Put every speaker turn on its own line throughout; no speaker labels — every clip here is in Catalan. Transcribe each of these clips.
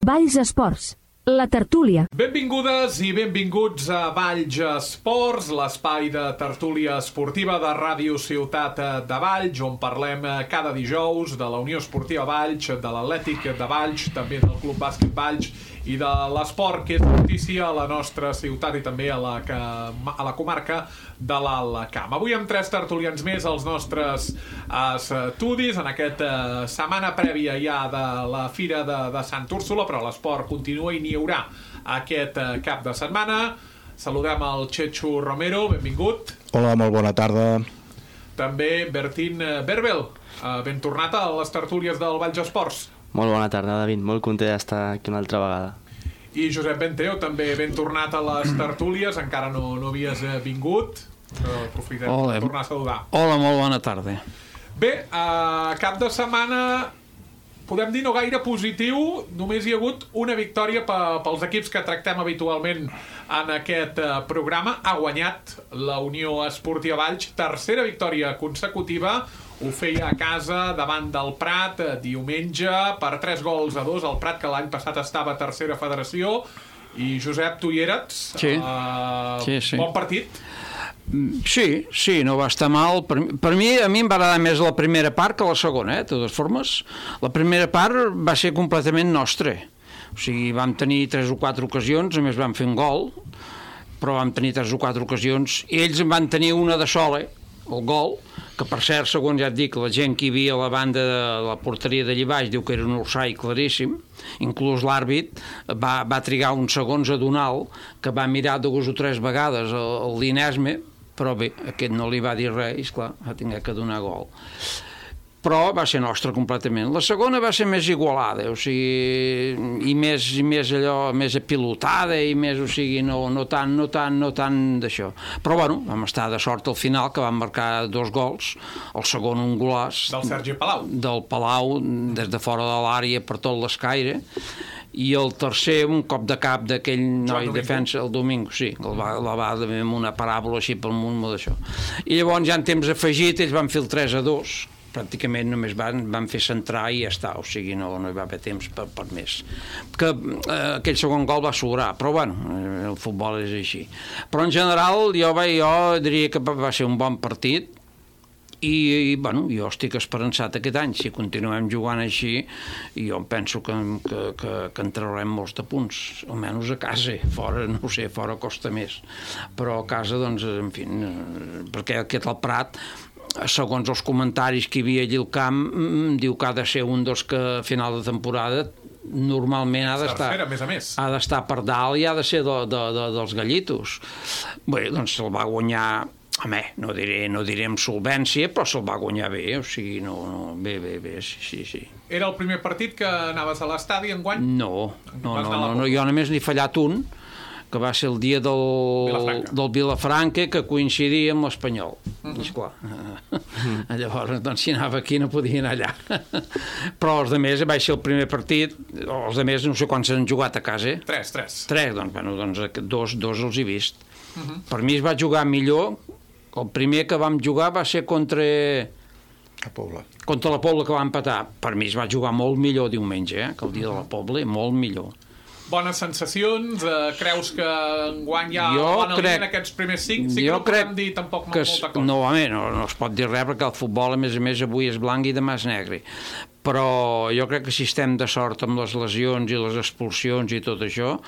Valls Esports, la tertúlia.
Benvingudes i benvinguts a Valls Esports, l'espai de tertúlia esportiva de Ràdio Ciutat de Valls, on parlem cada dijous de la Unió Esportiva Valls, de l'Atlètic de Valls, també del Club Bàsquet Valls i de l'esport, que és notícia a la nostra ciutat i també a la comarca de l'Alt Camp. Avui amb 3 tertulians més als nostres estudis, en aquesta setmana prèvia ja de la Fira de Sant Úrsula, però l'esport continua i n'hi haurà aquest cap de setmana. Saludem el Chechu Romero, benvingut.
Hola, molt bona tarda.
També Bertín Berbel, ben tornat a les tertúlies del Valls Esports.
Molt bona tarda, David. Molt content d'estar aquí una altra vegada.
I Josep Benteo, també ben tornat a les tertúlies. Encara no havies vingut, però aprofitem per tornar a saludar.
Hola, molt bona tarda.
Bé, cap de setmana, podem dir no gaire positiu. Només hi ha hagut una victòria pels equips que tractem habitualment en aquest programa. Ha guanyat la Unió Esportiva Valls, tercera victòria consecutiva. Ho feia a casa davant del Prat diumenge per 3-2. El Prat, que l'any passat estava a tercera federació. I Josep, tu hi eres?
Sí. Sí.
Bon partit?
Sí, no va estar mal. Per mi, a mi em va agradar més la primera part que la segona, de totes formes. La primera part va ser completament nostra. O sigui, vam tenir 3 o 4 ocasions, a més vam fer un gol, però vam tenir 3 o 4 ocasions, i ells en van tenir una de sola, el gol, que per cert, segons ja et dic, la gent que hi havia a la banda de la porteria d'allà baix diu que era un orsai claríssim. Inclús l'àrbit va trigar uns segons a donar-lo, que va mirar 2 o 3 vegades el Linesme, però bé, aquest no li va dir res, i esclar, va haver que donar gol. Però va ser nostra completament. La segona va ser més igualada, o sigui, i més allò, més apilotada, i més, o sigui, no tant d'això. Però bueno, vam estar de sort al final, que vam marcar 2 gols, el segon un golàs
del Sergi Palau.
Del Palau, des de fora de l'àrea per tot l'escaire, i el tercer un cop de cap d'aquell noi defensa, el Domingo, sí, la va amb una paràbola així pel munt d'això. I llavors ja en temps afegit ells van fer el 3-2, pràcticament només van fer centrar i ja està, o sigui, no hi va haver temps per més. Que aquell segon gol va sobrar, però bueno, el futbol és així. Però en general jo diria que va ser un bon partit, i bueno, jo estic esperançat aquest any. Si continuem jugant així, jo penso que en traurem molts de punts, almenys a casa. Fora, no ho sé, fora costa més, però a casa, doncs, en fi, perquè aquest al Prat, segons els comentaris que hi havia allà al camp, diu que ha de ser un dels que a final de temporada normalment ha d'estar per dalt i ha de ser dels gallitos. Bé, doncs se'l va guanyar, no diré amb solvència, però se'l va guanyar bé, o sigui, bé, sí.
Era el primer partit que anaves a l'estadi enguany?
No, jo només n'he fallat un, que va ser el dia del Vilafranca, que coincidia amb l'Espanyol. Esclar. Llavors, doncs, si anava aquí no podia anar allà. Però els altres va ser el primer partit. Els altres no sé quants han jugat a casa.
3.
Doncs dos els he vist. Per mi es va jugar millor. El primer que vam jugar va ser contra la Pobla, que va empatar. Per mi es va jugar molt millor diumenge, que el dia de la Pobla, molt millor.
Bones sensacions? Creus que enguany ja van a línia en aquests primers 5? Sí que no podem dir tampoc molta cosa.
No es pot dir res, perquè el futbol, a més, avui és blanc i demà és negre. Però jo crec que si estem de sort amb les lesions i les expulsions i tot això,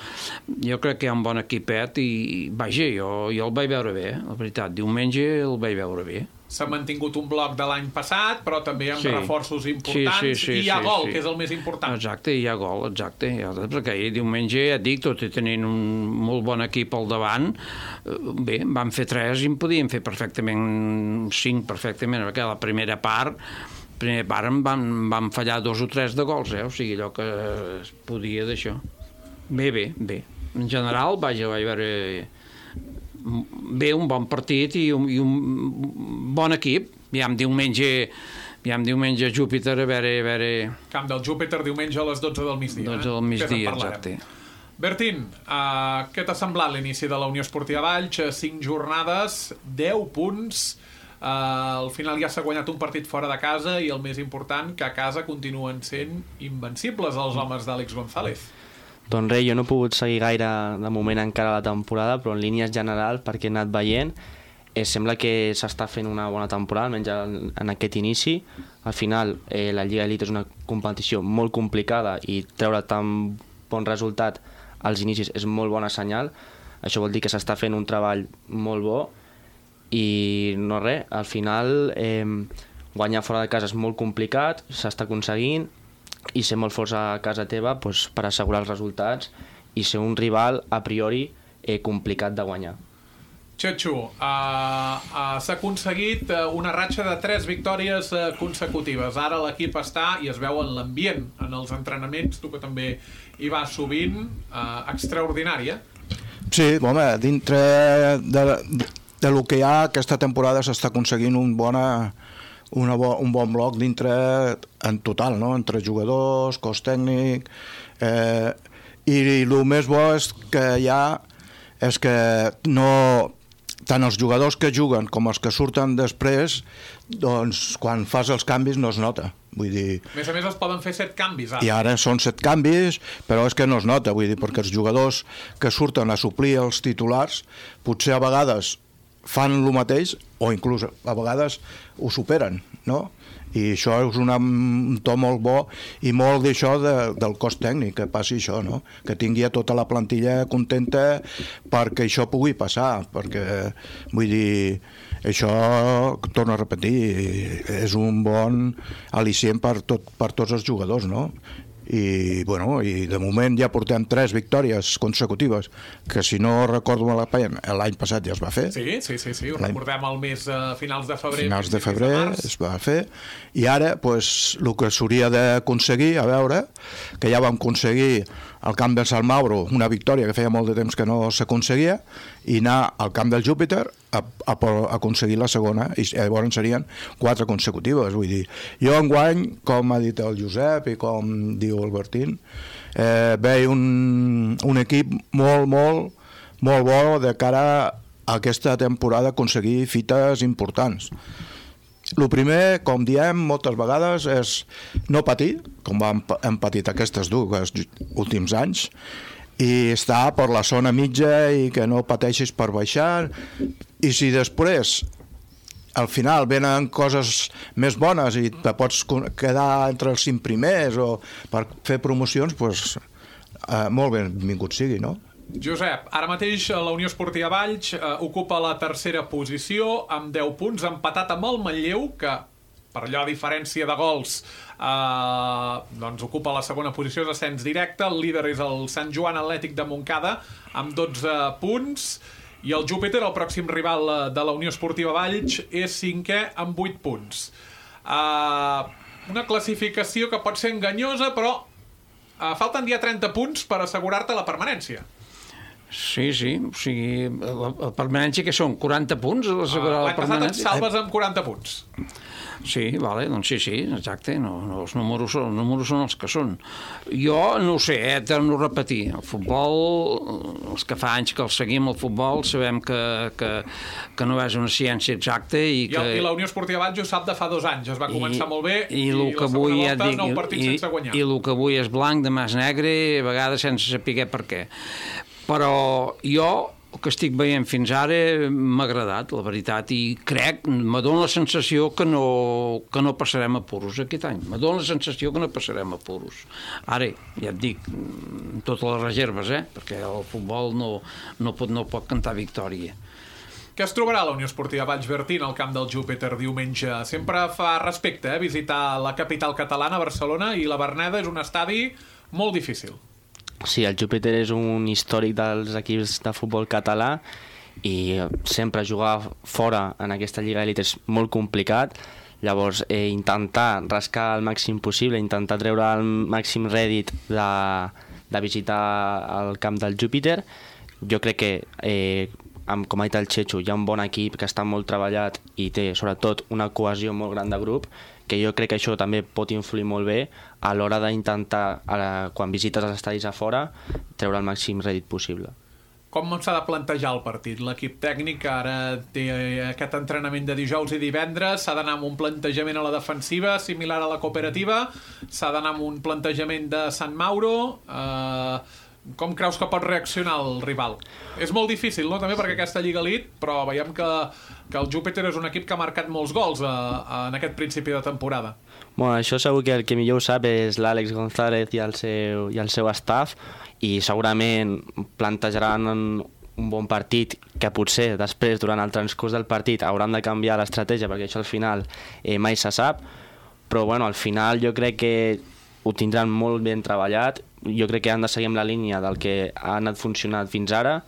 jo crec que hi ha un bon equipet i, vaja, jo el vaig veure bé, la veritat. Diumenge el vaig veure bé.
S'ha mantingut un bloc de l'any passat, però també amb reforços importants, i hi ha gol, que és el més important.
Exacte, hi ha gol, perquè ahir diumenge, ja et dic, tot i tenint un molt bon equip al davant, bé, vam fer 3 i en podíem fer perfectament 5, perquè la primera part vam fallar 2 o 3 de gols, o sigui, allò que es podia d'això. Bé. En general, vaig veure bé, un bon partit i un bon equip. Aviam, diumenge a Júpiter, a veure...
Camp del Júpiter, diumenge a les 12 del migdia.
12 del migdia, exacte.
Bertín, què t'ha semblat l'inici de la Unió Esportiva Valls? 5 jornades, 10 punts. Al final ja s'ha guanyat un partit fora de casa i el més important, que a casa continuen sent invencibles els homes d'Àlex González.
Doncs res, jo no he pogut seguir gaire de moment encara la temporada, però en línies generals, perquè he anat veient, sembla que s'està fent una bona temporada, almenys en aquest inici. Al final, la Lliga Elite és una competició molt complicada i treure tan bon resultat als inicis és molt bona senyal. Això vol dir que s'està fent un treball molt bo i no res, al final guanyar fora de casa és molt complicat, s'està aconseguint, i ser molt forts a casa teva doncs, per assegurar els resultats i ser un rival a priori complicat de guanyar.
Chechu, s'ha aconseguit una ratxa de 3 victòries consecutives. Ara l'equip està i es veu en l'ambient, en els entrenaments, tu que també hi vas sovint, extraordinària.
Sí, home, dintre de lo que hi ha, aquesta temporada s'està aconseguint un bon bloc dintre en total, no? Entre jugadors, cos tècnic, i el més bo és que hi ha és que no, tant els jugadors que juguen com els que surten després, doncs quan fas els canvis no es nota. Vull dir,
a més es poden fer 7 canvis ara.
I ara són 7 canvis, però és que no es nota, vull dir, perquè els jugadors que surten a suplir els titulars potser a vegades fan el mateix o inclús a vegades ho superen, no? I això és un to molt bo i molt d'això del cos tècnic, que passi això, no? Que tingui a tota la plantilla contenta perquè això pugui passar, perquè, vull dir, això, torno a repetir, és un bon al·licient per tots els jugadors, no? I, bueno, i de moment ja portem 3 victòries consecutives, que si no recordo malament, l'any passat ja es va fer.
Sí, ho recordem al mes finals de febrer.
Finals de febrer es va fer, i ara, pues, el que s'hauria d'aconseguir, a veure, que ja vam aconseguir al camp del Sant Mauro una victòria que feia molt de temps que no s'aconseguia, i anar al camp del Júpiter a aconseguir la segona, i llavors serien 4 consecutives. Vull dir, jo enguany, com ha dit el Josep i com diu el Bertín, veig un equip molt bo de cara a aquesta temporada aconseguir fites importants. El primer, com diem moltes vegades, és no patir, com hem patit aquestes dues últims anys, i estar per la zona mitja i que no pateixis per baixar, i si després al final venen coses més bones i te pots quedar entre els 5 primers o per fer promocions, doncs molt benvingut sigui, no?
Josep, ara mateix la Unió Esportiva Valls ocupa la 3a posició amb 10 punts, empatat amb el Manlleu, que per allò a diferència de gols doncs ocupa la 2a posició, és ascens directe. El líder és el Sant Joan Atlètic de Montcada amb 12 punts, i el Júpiter, el pròxim rival de la Unió Esportiva Valls, és 5è amb 8 punts. Una classificació que pot ser enganyosa, però falten ja 30 punts per assegurar-te la permanència.
Sí, o sigui, la permanència que són 40 punts?
L'any passat et salves amb 40 punts.
Sí, vale, doncs sí, exacte, no, els números són els que són. Jo no ho sé, torno a repetir, el futbol, els que fa anys que el seguim, el futbol, sabem que no és una ciència exacta i
la Unió Esportiva Valls ho sap de fa 2 anys, es va començar molt bé i
la segona
volta 9 partits sense guanyar.
I el que avui és blanc, demà és negre, a vegades sense saber per què. Però jo, el que estic veient fins ara m'ha agradat, la veritat, i crec, me dóna la sensació que no passarem apuros aquest any. Me dóna la sensació que no passarem apuros. Ara, ja et dic, totes les reserves, perquè el futbol no pot cantar victòria.
Què es trobarà la Unió Esportiva Valls Bertín al camp del Júpiter diumenge? Sempre fa respecte visitar la capital catalana, Barcelona, i la Verneda és un estadi molt difícil.
Sí, el Júpiter és un històric dels equips de futbol català i sempre jugar fora en aquesta Lliga Elite és molt complicat. Llavors, intentar rascar el màxim possible, intentar treure el màxim rèdit de visitar el camp del Júpiter. Jo crec que, com ha dit el Chechu, hi ha un bon equip que està molt treballat i té, sobretot, una cohesió molt gran de grup, que jo crec que això també pot influir molt bé a l'hora d'intentar, quan visites els estadis a fora, treure el màxim rèdit possible.
Com s'ha de plantejar el partit? L'equip tècnic ara té aquest entrenament de dijous i divendres, s'ha d'anar amb un plantejament a la defensiva similar a la cooperativa, s'ha d'anar amb un plantejament de Sant Mauro, Com creus que pot reaccionar el rival? És molt difícil, no?, també perquè aquesta Lliga Elite, però veiem que el Júpiter és un equip que ha marcat molts gols en aquest principi de temporada.
Bueno, això segur que el que millor ho sap és l'Àlex González i el seu staff, i segurament plantejaran un bon partit que potser després, durant el transcurs del partit, hauran de canviar l'estratègia, perquè això al final mai se sap, però bueno, al final jo crec que ho tindran molt ben treballat. Jo crec que han de seguir amb la línia del que ha anat funcionant fins ara,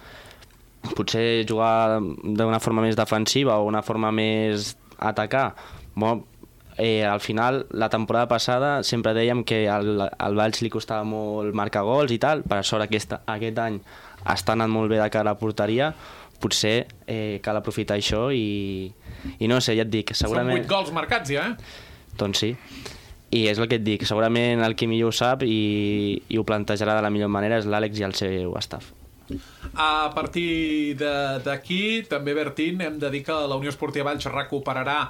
potser jugar d'una forma més defensiva o una forma més atacar. Bueno, al final, la temporada passada sempre dèiem que al Valls li costava molt marcar gols i tal, per sort aquest any està anant molt bé de cara a la porteria, potser cal aprofitar això i no sé, ja et dic, segurament...
Són 8 gols marcats ja,
Doncs sí. I és el que et dic, segurament el qui millor ho sap i ho plantejarà de la millor manera és l'Àlex i el seu staff.
A partir d'aquí, també, Bertín, hem de dir que la Unió Esportiva Valls recuperarà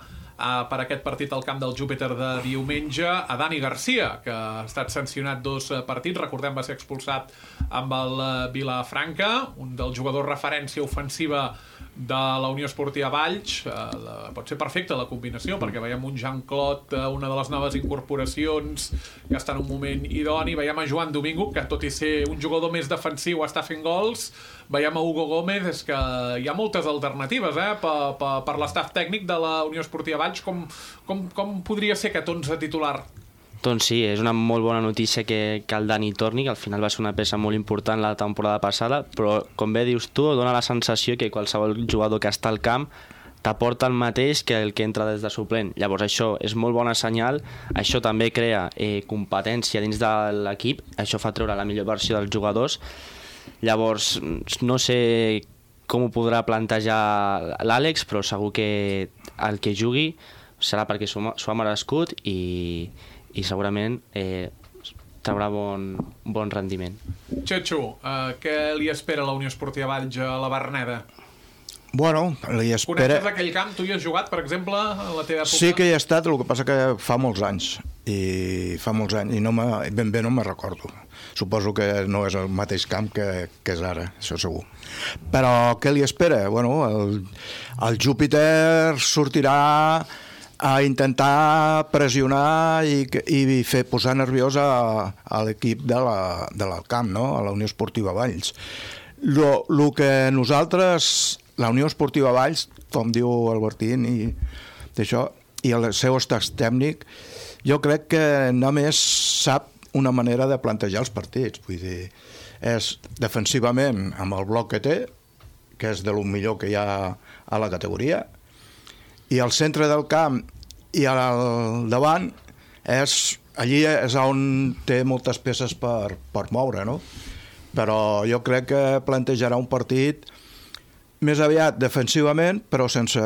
per aquest partit al camp del Júpiter de diumenge a Dani Garcia, que ha estat sancionat 2 partits, recordem va ser expulsat amb el Vilafranca, un dels jugadors referència ofensiva de la Unió Esportiva Valls. Pot ser perfecta la combinació, perquè veiem un Jean-Claude, una de les noves incorporacions, que està en un moment idoni, veiem a Joan Domingo, que tot i ser un jugador més defensiu està fent gols, veiem a Hugo Gómez, és que hi ha moltes alternatives per l'estaf tècnic de la Unió Esportiva Valls. Com podria ser aquest 11 titular?
Doncs sí, és una molt bona notícia que el Dani torni, que al final va ser una peça molt important la temporada passada, però com bé dius tu, dona la sensació que qualsevol jugador que està al camp t'aporta el mateix que el que entra des de suplent. Llavors això és molt bona senyal, això també crea competència dins de l'equip, això fa treure la millor versió dels jugadors. Llavors no sé com ho podrà plantejar l'Àlex, però segur que el que jugui serà perquè s'ho ha merescut i segurament traurà bon rendiment.
Xetxo, què li espera la Unió Esportiva Valls a la Verneda?
Bueno, li espera...
Coneixes aquell camp? Tu hi has jugat, per exemple, a la teva època?
Sí que hi he estat, el que passa que fa molts anys i ben bé no me'n recordo. Suposo que no és el mateix camp que és ara, això segur. Però què li espera? Bueno, el Júpiter sortirà a intentar pressionar i fer posar nerviós a l'equip del camp, no? A la Unió Esportiva Valls. El que nosaltres, la Unió Esportiva Valls, com diu el Bertín i el seu estat tècnic, jo crec que només sap una manera de plantejar els partits. Vull dir, és defensivament amb el bloc que té, que és de lo millor que hi ha a la categoria, i al centre del camp i al davant allí és on té moltes peces per moure, no? Però jo crec que plantejarà un partit més aviat defensivament, però sense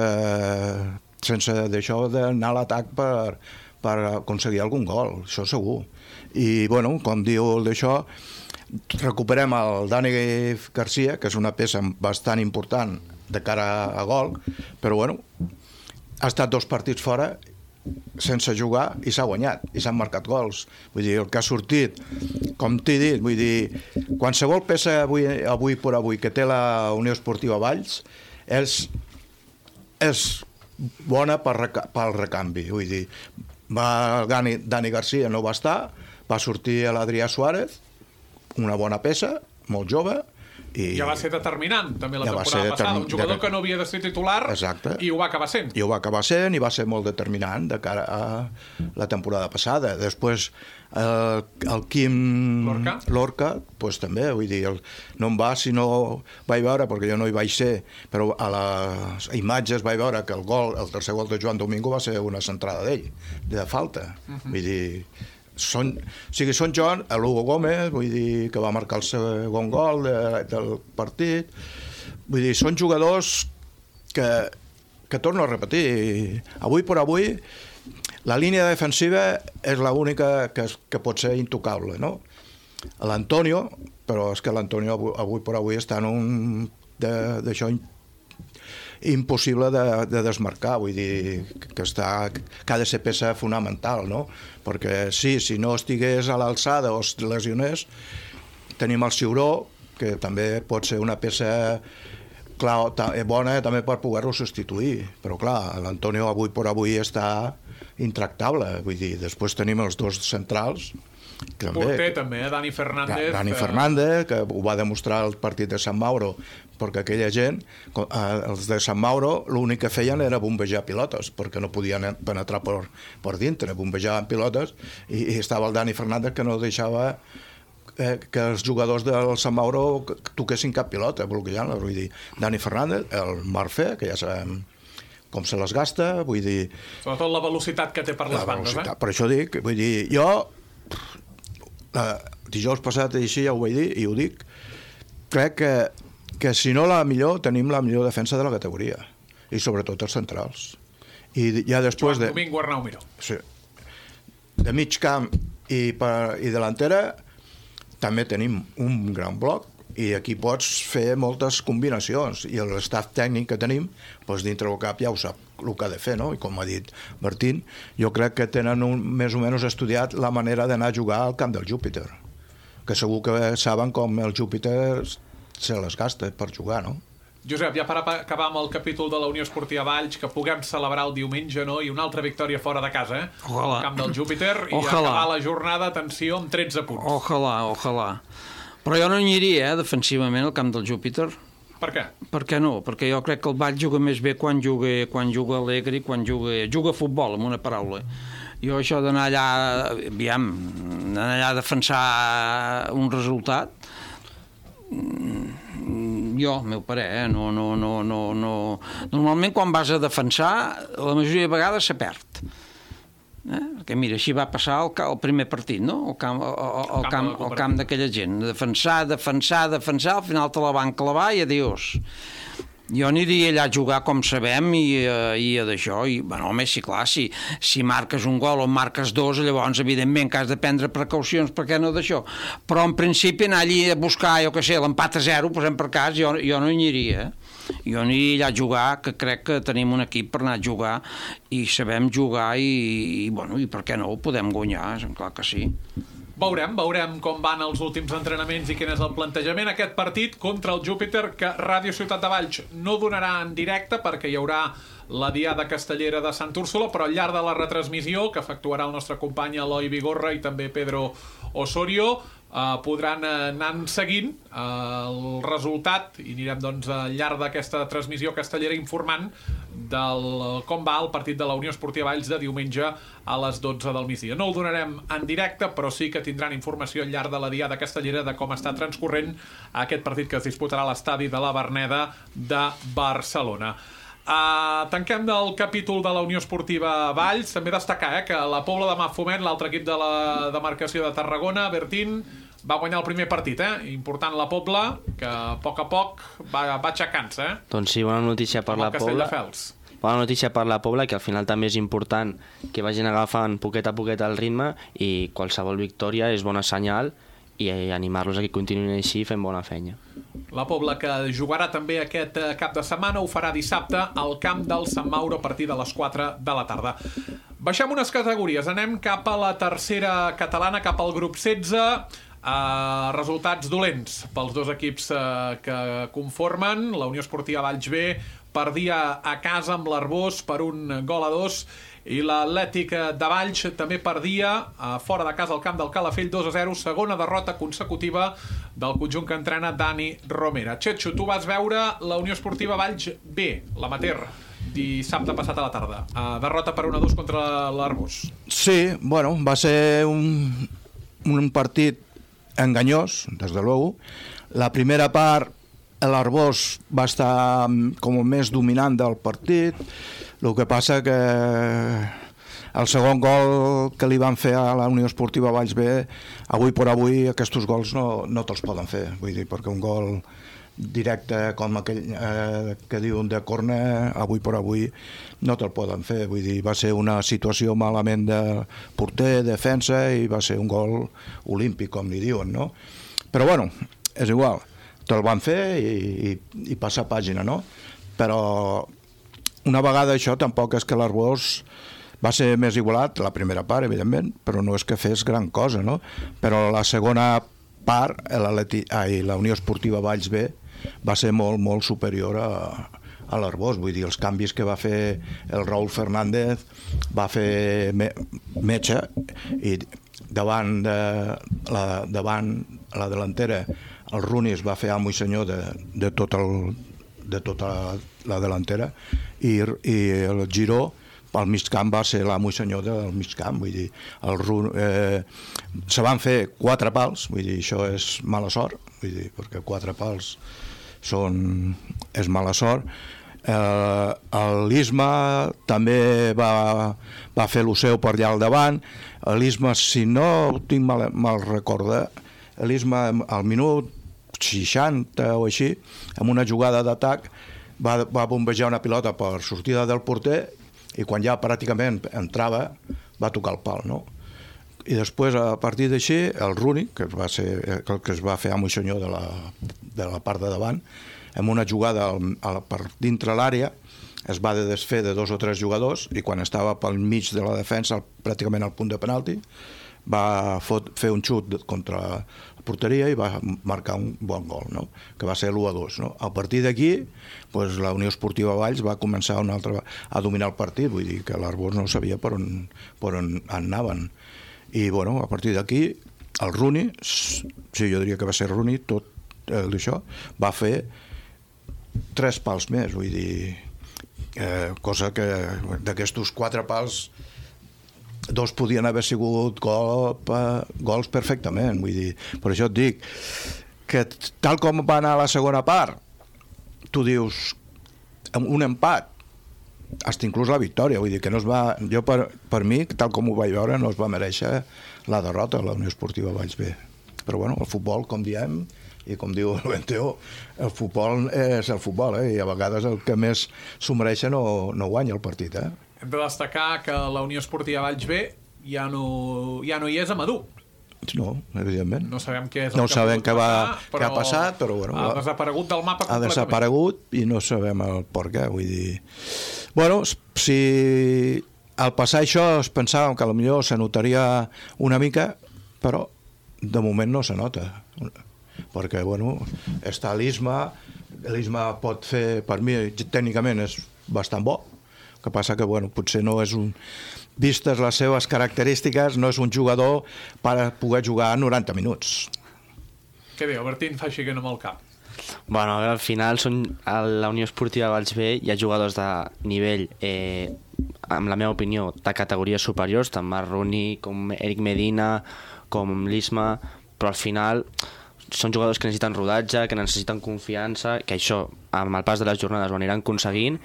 d'això d'anar a l'atac per aconseguir algun gol, això segur. I, bueno, com diu d'això, recuperem el Dani Garcia, que és una peça bastant important de cara a gol, però, bueno, ha estat 2 partits fora sense jugar i s'ha guanyat, i s'han marcat gols. Vull dir, el que ha sortit, com t'he dit, vull dir, qualsevol peça avui per avui que té la Unió Esportiva Valls és bona pel recanvi. Vull dir, Dani Garcia no va estar, va sortir l'Adrià Suárez, una bona peça, molt jove, i
ja va ser determinant també la temporada passada, un jugador que no havia de ser titular.
Exacte.
I ho va acabar sent.
I ho va acabar sent i va ser molt determinant de cara a la temporada passada. Després el Quim Lorca pues, també, vull dir, no em va si no vaig veure, perquè jo no hi vaig ser, però a les imatges vaig veure que el tercer gol de Joan Domingo va ser una centrada d'ell, de falta. Vull dir, són Joan, l'Hugo Gómez, vull dir, que va marcar el segon gol del partit. Vull dir, són jugadors que torno a repetir, avui per avui la línia defensiva és l'única que pot ser intocable, no? L'Antonio, però és que l'Antonio avui per avui està en un d'això impossible de desmarcar, vull dir que ha de ser peça fonamental, no? Perquè si no estigués a l'alçada o es lesionés, tenim el Ciuró, que també pot ser una peça bona també per poder-lo substituir, però clar, l'Antonio avui per avui està intractable, vull dir, després tenim els dos centrals,
porter també, Dani Fernández.
Dani Fernández, que ho va demostrar al partit de Sant Mauro, perquè aquella gent, els de Sant Mauro, l'únic que feien era bombejar pilotes, perquè no podien penetrar per dintre, bombejaven pilotes, i estava el Dani Fernández que no deixava que els jugadors del Sant Mauro toquessin cap pilota, bloquejant-la, vull dir, Dani Fernández, el Marfé, que ja sabem com se les gasta, vull dir...
Sobretot la velocitat que té per les bandes,
Per això dic, vull dir, jo dijous passat així ja ho vaig dir i ho dic, crec que si no la millor, tenim la millor defensa de la categoria i sobretot els centrals i ja després
Joan Domingo Arnau Miró.
Sí, de mig camp i delantera també tenim un gran bloc i aquí pots fer moltes combinacions i l'estaf tècnic que tenim doncs dintre del cap ja ho sap el que ha de fer, no? I com ha dit Martín, jo crec que tenen més o menys estudiat la manera d'anar a jugar al camp del Júpiter, que segur que saben com el Júpiter se les gasta per jugar, no?
Josep, ja per acabar amb el capítol de la Unió Esportiva Valls, que puguem celebrar el diumenge, no? I una altra victòria fora de casa,
Ojalà.
Al camp del Júpiter, i
Ojalà.
acabar la jornada, atenció, amb 13 punts.
Ojalà. Però jo no aniria, defensivament, al camp del Júpiter.
Per què?
Per què no? Perquè jo crec que el Valls juga més bé quan juga alegre i quan juga a futbol, amb una paraula. Jo això d'anar allà, d'anar allà a defensar un resultat, jo, meu parer, no. Normalment quan vas a defensar, la majoria de vegades se perd. Perquè mira, així va passar el primer partit, no? El camp d'aquella gent. Defensar, al final te la van clavar i adiós. Jo aniria allà a jugar com sabem i d'això, i bueno, home, sí, clar, si marques un gol o marques dos, llavors evidentment que has de prendre precaucions, per què no d'això, però en principi anar allí a buscar, jo què sé, l'empat a 0, posem per cas, jo no hi aniria, jo aniria allà a jugar, que crec que tenim un equip per anar a jugar i sabem jugar i bueno, i per què no ho podem guanyar, clar que sí.
Veurem com van els últims entrenaments i quin és el plantejament. Aquest partit contra el Júpiter, que Ràdio Ciutat de Valls no donarà en directe perquè hi haurà la Diada Castellera de Sant Úrsula, però al llarg de la retransmissió que efectuarà el nostre company Eloi Vigorra i també Pedro Osorio, podran anar seguint el resultat i anirem doncs al llarg d'aquesta transmissió castellera informant del com va el partit de la Unió Esportiva Valls de diumenge a les 12 del migdia. No el donarem en directe, però sí que tindran informació al llarg de la Diada Castellera de com està transcorrent aquest partit que es disputarà a l'estadi de la Verneda de Barcelona. Tanquem del capítol de la Unió Esportiva Valls. També destacar que la Pobla de Mafumet, l'altre equip de la demarcació de Tarragona, Bertín, va guanyar el primer partit, important la Pobla, que a poc va aixecant-se.
Doncs sí, bona notícia per la Pobla. Bona notícia per la Pobla, que al final també és important que vagin agafant poquet a poquet el ritme i qualsevol victòria és bona senyal i animar-los a que continuïn així fent bona feina.
La Pobla, que jugarà també aquest cap de setmana, ho farà dissabte al camp del Sant Mauro a partir de les 4 de la tarda. Baixem unes categories, anem cap a la tercera catalana, cap al grup 16. Resultats dolents pels dos equips que conformen. La Unió Esportiva Valls B perdia a casa amb l'Arbós per 1-2 i l'Atlètic de Valls també perdia fora de casa al camp del Calafell 2-0, segona derrota consecutiva del conjunt que entrena Dani Romera. Txetxo, tu vas veure la Unió Esportiva Valls B, l'amateur, dissabte passat a la tarda. Derrota per 1-2 contra l'Arbós.
Sí, bueno, va ser un partit enganyós, des de luego. La primera part, l'Arbós va estar com més dominant del partit. El que passa que el segon gol que li van fer a la Unió Esportiva Valls B, avui per avui aquests gols no te'ls poden fer, vull dir, perquè un gol directe com aquell que diuen de córner, avui per avui no te'l poden fer, vull dir, va ser una situació malament de porter, defensa, i va ser un gol olímpic, com li diuen, no? Però bueno, és igual, te'l van fer i passar pàgina, no? Però una vegada això tampoc és que l'Arbós va ser més igualat, la primera part, evidentment, però no és que fes gran cosa, no? Però la segona part, la Unió Esportiva Valls B va ser molt, molt superior a l'Arbós. Vull dir, els canvis que va fer el Raúl Fernández, va fer metge, i davant la delantera el Runis va fer amo i senyor de tota la delantera, i el Giró al mig camp va ser l'amo i senyor del mig camp. Vull dir, se van fer 4 pals, vull dir, això és mala sort, vull dir, perquè 4 pals és mala sort. L'Isma també va fer el seu per allà al davant. L'Isma, si no tinc mal recorda, l'Isma al minut 60 o així, amb una jugada d'atac, va bombejar una pilota per sortida del porter, i quan ja pràcticament entrava va tocar el pal, no? I després, a partir d'així, el Runi, que es va fer amo i senyor de la part de davant, amb una jugada per dintre l'àrea, es va desfer de 2 o 3 jugadors, i quan estava pel mig de la defensa, pràcticament al punt de penalti, va fer un xut contra la porteria i va marcar un bon gol, no? Que va ser l'1-2. No? A partir d'aquí, doncs, la Unió Esportiva Valls va començar a dominar el partit, vull dir que l'Arbós no sabia per on anaven. I bueno, a partir d'aquí, el Runi, sí, jo diria que va ser Runi, tot això, va fer 3 pals més, vull dir, cosa que d'aquestos 4 pals 2 podien haver sigut gols perfectament, vull dir. Per això et dic que tal com va anar la segona part, tu dius un empat, fins inclús la victòria, vull dir que no es va, jo per mi, tal com ho vaig veure, no es va mereixer la derrota a la Unió Esportiva Valls B. Però bueno, el futbol, com diem, i com diu el Benteo, el futbol és el futbol, i a vegades el que més s'ho mereix no guanya el partit, Hem
de destacar que la Unió Esportiva Valls B ja no hi és a Madú.
No, evidentment.
No sabem què és
el que ha passat, però bueno,
ha desaparegut del mapa completament.
Ha desaparegut i no sabem el per què, vull dir. Bueno, si al passar això es pensàvem que potser se notaria una mica, però de moment no se nota. Perquè, bueno, està l'Isma pot fer, per mi, tècnicament és bastant bo, que passa que, bueno, potser no és vistes les seves característiques, no és un jugador per poder jugar 90 minuts.
Què diu? Bertín fa així que no amb el cap.
Bueno, al final a la Unió Esportiva Valls B hi ha jugadors de nivell, amb la meva opinió, de categories superiors, tant Marroni com Eric Medina, com l'Isma, però al final són jugadors que necessiten rodatge, que necessiten confiança, que això, amb el pas de les jornades ho aniran aconseguint.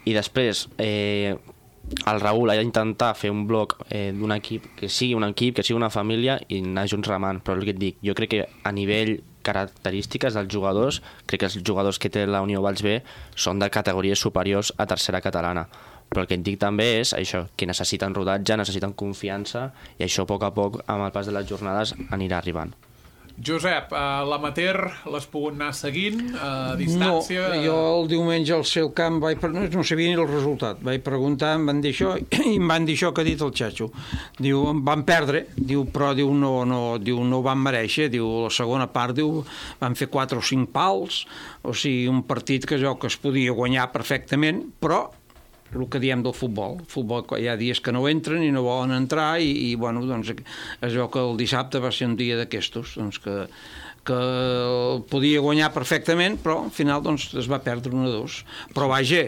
I després el Raül ha d'intentar fer un bloc d'un equip que sigui un equip, que sigui una família i anar junts remant, però el que et dic, jo crec que a nivell característiques dels jugadors, crec que els jugadors que té la Unió Valls B són de categories superiors a tercera catalana, però el que et dic també és això, que necessiten rodatge, necessiten confiança, i això a poc, amb el pas de les jornades, anirà arribant.
Josep, l'amateur l'has pogut anar seguint a distància?
No, jo el diumenge al seu camp no sabia ni el resultat. Vaig preguntar, em van dir això, i em van dir això que ha dit el Xacho. Diu, em van perdre, però no van mereixer. Diu, la segona part, van fer 4 o 5 pals, o sigui, un partit que es podia guanyar perfectament, però el que diem del futbol. El futbol, hi ha dies que no entren i no volen entrar, i bueno, doncs es veu que el dissabte va ser un dia d'aquestos, doncs que podia guanyar perfectament, però al final doncs es va perdre 1-2. Però vaja,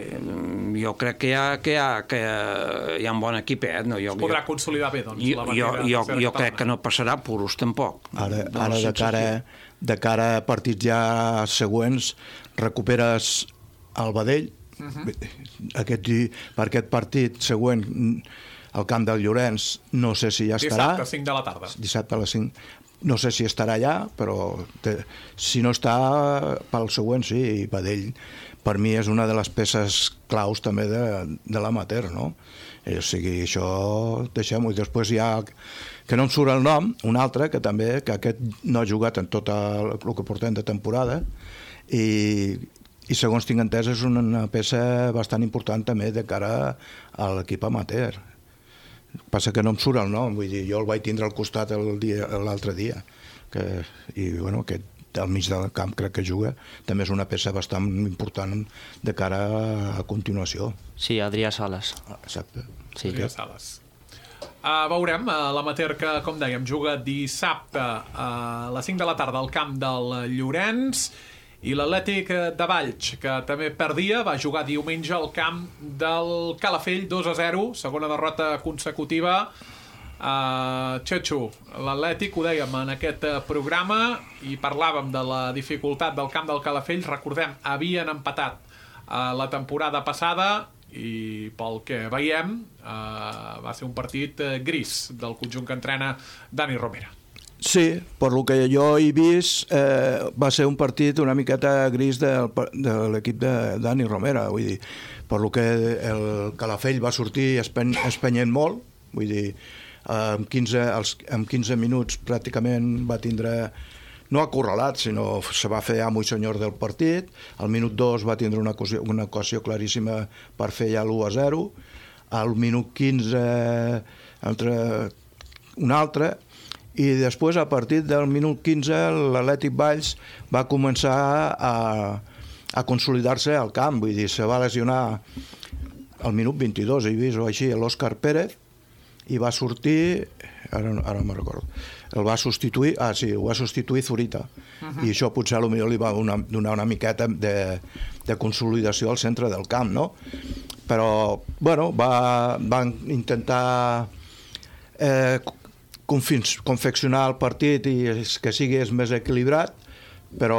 jo crec que hi ha un bon equip, no?
Es podrà consolidar bé, doncs,
jo crec que no passarà puros, tampoc.
Ara de cara a partits ja següents, recuperes el Badell, per aquest partit següent al camp del Llorenç no sé si ja estarà.
Dissabte a 5 de la tarda.
Dissabte a les 5. No sé si estarà allà, però si no està pel següent, sí. I Badell per mi és una de les peces claus també de l'amateur, no? O sigui, això deixem-ho. I després hi ha, que no em surt el nom, un altre que també, que aquest no ha jugat en tot el que portem de temporada, i segons tinc entès és una peça bastant important també de cara a l'equip amateur. Passa que no em surt el nom, vull dir, jo el vaig tindre al costat l'altre dia, i bueno, que al mig del camp crec que juga, també és una peça bastant important de cara a continuació.
Sí, Adrià Sales.
Exacte.
Sí. Adrià Sales. Veurem, l'amateur que, com dèiem, juga dissabte a les 5 de la tarda al camp del Llorenç, i l'Atlètic de Valls, que també perdia, va jugar diumenge al camp del Calafell 2-0, segona derrota consecutiva. Txetxo, l'Atlètic, ho dèiem en aquest programa i parlàvem de la dificultat del camp del Calafell. Recordem, havien empatat la temporada passada i pel que veiem va ser un partit gris del conjunt que entrena Dani Romera.
Sí, per lo que jo he vist va ser un partit una miqueta gris de l'equip de Dani Romera, vull dir, per lo que el Calafell va sortir espenyent molt, vull dir, en 15 minuts pràcticament va tindre, no acorralat, sinó se va fer amo i senyor del partit. Al minut 2 va tindre una ocasió claríssima per fer ja l'1-0. Al minut 15 una altra, i després a partir del minut 15 l'Atlètic Valls va començar a consolidar-se al camp, vull dir, se va lesionar al minut 22, he vist o així, l'Òscar Pérez, i va sortir, ara no me'n recordo, el va substituir, ho va substituir Zurita, i això potser potser li va donar una miqueta de consolidació al centre del camp, no? Però, bueno, van intentar confeccionar el partit i que sigui més equilibrat, però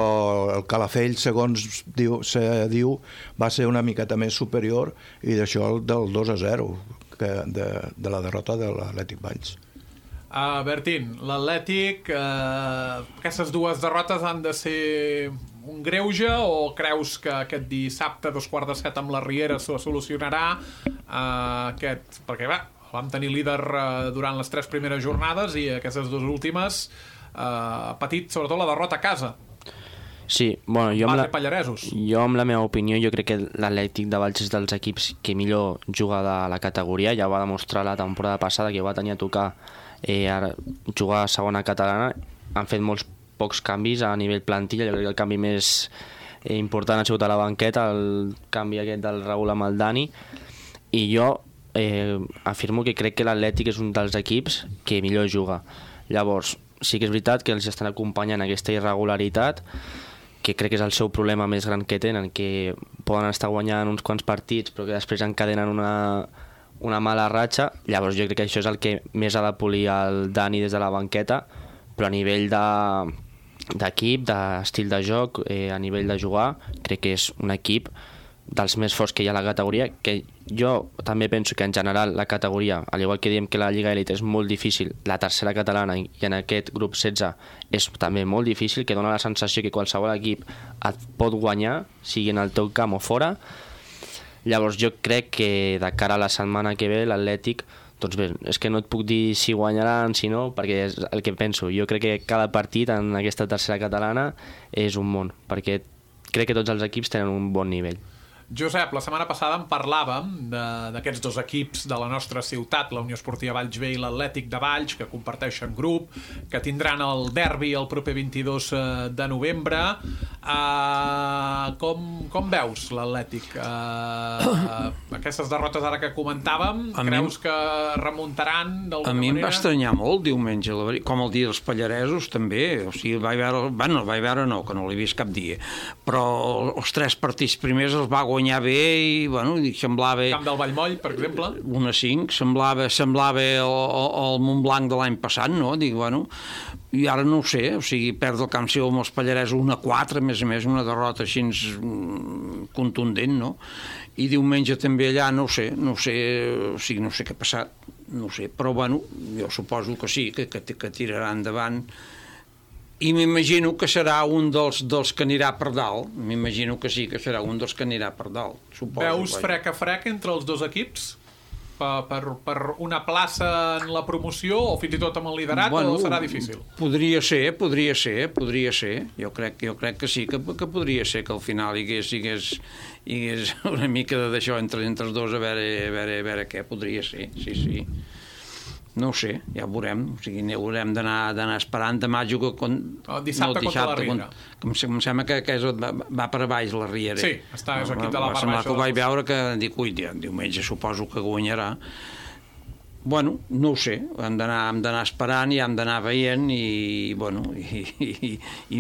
el Calafell, segons se diu, va ser una miqueta més superior, i d'això del 2-0 de la derrota de l'Atlètic Valls.
Bertín, l'Atlètic, aquestes dues derrotes han de ser un greuge, o creus que aquest dissabte 6:45 amb la Riera s'ho solucionarà? Perquè vam tenir líder durant les 3 primeres jornades i aquestes 2 últimes ha patit sobretot la derrota a casa.
Sí, bueno, jo amb la meva opinió, jo crec que l'Atlètic de Valls és dels equips que millor juga de la categoria. Ja va demostrar la temporada passada que va tenir a tocar jugar a segona catalana. Han fet molts pocs canvis a nivell plantilla. Jo crec que el canvi més important ha sigut a la banqueta, el canvi aquest del Raül amb el Dani, i jo afirmo que crec que l'Atlètic és un dels equips que millor juga. Llavors, sí que és veritat que els estan acompanyant aquesta irregularitat, que crec que és el seu problema més gran que tenen, que poden estar guanyant uns quants partits però que després encadenen una mala ratxa. Llavors jo crec que això és el que més ha de polir el Dani des de la banqueta, però a nivell d'equip, d'estil de joc, a nivell de jugar, crec que és un equip dels més forts que hi ha a la categoria, que jo també penso que en general la categoria, al igual que diem que la Lliga Elite és molt difícil, la tercera catalana i en aquest grup 16 és també molt difícil, que dona la sensació que qualsevol equip et pot guanyar, sigui en el teu camp o fora. Llavors jo crec que de cara a la setmana que ve l'Atlètic, doncs bé, és que no et puc dir si guanyaran, si no, perquè és el que penso. Jo crec que cada partit en aquesta tercera catalana és un món, perquè crec que tots els equips tenen un bon nivell.
Josep, la setmana passada en parlàvem d'aquests 2 equips de la nostra ciutat, la Unió Esportiva Valls B i l'Atlètic de Valls, que comparteixen grup, que tindran el derbi el proper 22 de novembre. Com veus l'Atlètic? Aquestes derrotes ara que comentàvem, creus que remuntaran d'alguna manera?
A mi em va estranyar molt diumenge, com el dia dels Pallaresos també, o sigui, vaig veure no, que no l'he vist cap dia, però els 3 partits primers els va guanyar bé i, bueno, semblava...
Camp del Vallmoll, per exemple?
1-5, semblava el Montblanc de l'any passat, no? Dic, bueno, i ara no ho sé, o sigui, perd el camp seu amb els Pallaresos 1-4, a més, una derrota així contundent, no? I diumenge també allà, no ho sé, o sigui, no sé què ha passat, no ho sé, però, bueno, jo suposo que sí, que tirarà endavant. I m'imagino que serà un dels que anirà per dalt. M'imagino que sí, que serà un dels que anirà per dalt. Suposo.
Veus frec a frec entre els 2 equips? Per una plaça en la promoció o fins i tot amb el liderat, o serà difícil?
Podria ser. Jo crec que sí, que podria ser que al final hi hagués una mica d'això entre els 2, a veure què podria ser, sí. No ho sé, ja ho veurem. O sigui, haurem d'anar esperant. Demà juga
dissabte contra la Riera.
Em sembla que va per baix la Riera.
Sí, és equip de la part baixa.
Que ho vaig veure que dic, ui, diumenge suposo que guanyarà. Bueno, no ho sé, hem d'anar esperant i hem d'anar veient i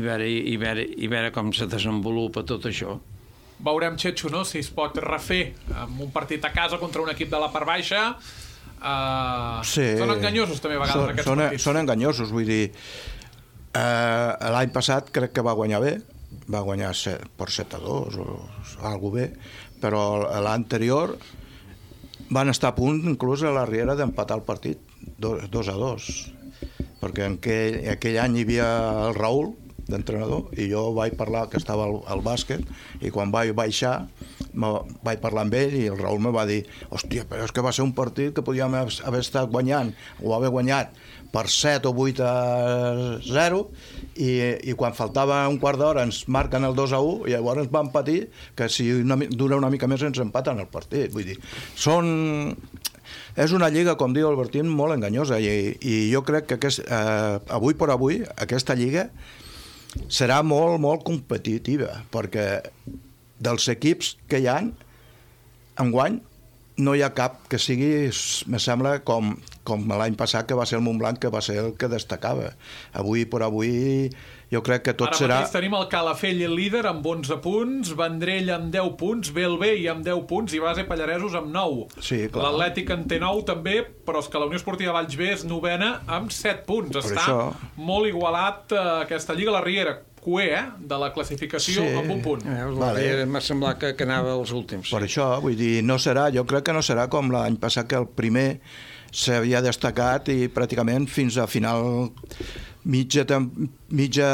veure com se desenvolupa tot això.
Veurem, Xetxo, no?, si es pot refer amb un partit a casa contra un equip de la part baixa. Són enganyosos també a vegades aquests partits.
Són enganyosos, vull dir, l'any passat crec que va guanyar bé, va guanyar per 7-2 o alguna bé, però l'anterior van estar a punt inclús a la Riera d'empatar el partit 2-2, perquè en aquell any hi havia el Raül d'entrenador i jo vaig parlar que estava al bàsquet i quan vaig baixar vaig parlar amb ell i el Raül me va dir, hòstia, però és que va ser un partit que podíem haver estat guanyant o haver guanyat per 7 o 8-0 i quan faltava un quart d'hora ens marquen el 2-1 i llavors vam patir que si dura una mica més ens empaten el partit. Vull dir, és una lliga, com diu el Bertín, molt enganyosa i jo crec que avui per avui aquesta lliga serà molt, molt competitiva, perquè dels equips que hi ha, enguany, no hi ha cap que sigui, me sembla, com l'any passat, que va ser el Montblanc, que va ser el que destacava. Avui per avui, jo crec que tot serà...
Ara mateix tenim el Calafell líder amb 11 punts, Vendrell amb 10 punts, Bellvei amb 10 punts i Base Pallaresos amb 9.
Sí, clar.
L'Atlètic en té 9 també, però és que la Unió Esportiva Valls B és novena amb 7 punts. Està molt igualat aquesta lliga. La Riera, cué, de la classificació, amb un punt.
M'ha semblat que anava als últims.
Per això, vull dir, jo crec que no serà com l'any passat, que el primer s'havia destacat i pràcticament fins a final mitja